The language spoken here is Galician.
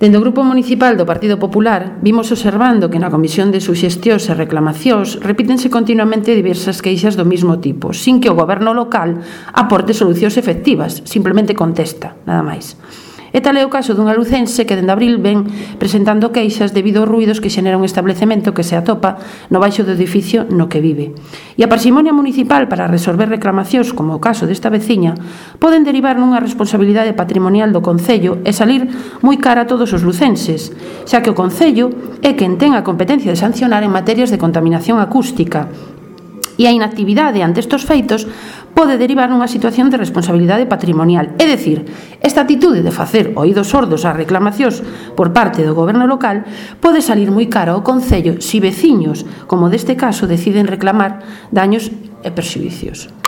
Dende o Grupo Municipal do Partido Popular vimos observando que na Comisión de Suxestións e Reclamacións repítense continuamente diversas queixas do mesmo tipo, sin que o goberno local aporte solucións efectivas, simplemente contesta, nada máis. E tal é o caso dunha lucense que dende abril ven presentando queixas debido aos ruídos que xenera un establecemento que se atopa no baixo do edificio no que vive. E a parsimonia municipal para resolver reclamacións, como o caso desta veciña, poden derivar nunha responsabilidade patrimonial do Concello e salir moi cara a todos os lucenses, xa que o Concello é quen ten a competencia de sancionar en materias de contaminación acústica. E a inactividade ante estes feitos pode derivar nunha situación de responsabilidade patrimonial. É dicir, esta actitude de facer oídos sordos ás reclamacións por parte do goberno local pode salir moi caro ao Concello se veciños, como deste caso, deciden reclamar daños e perxuízos.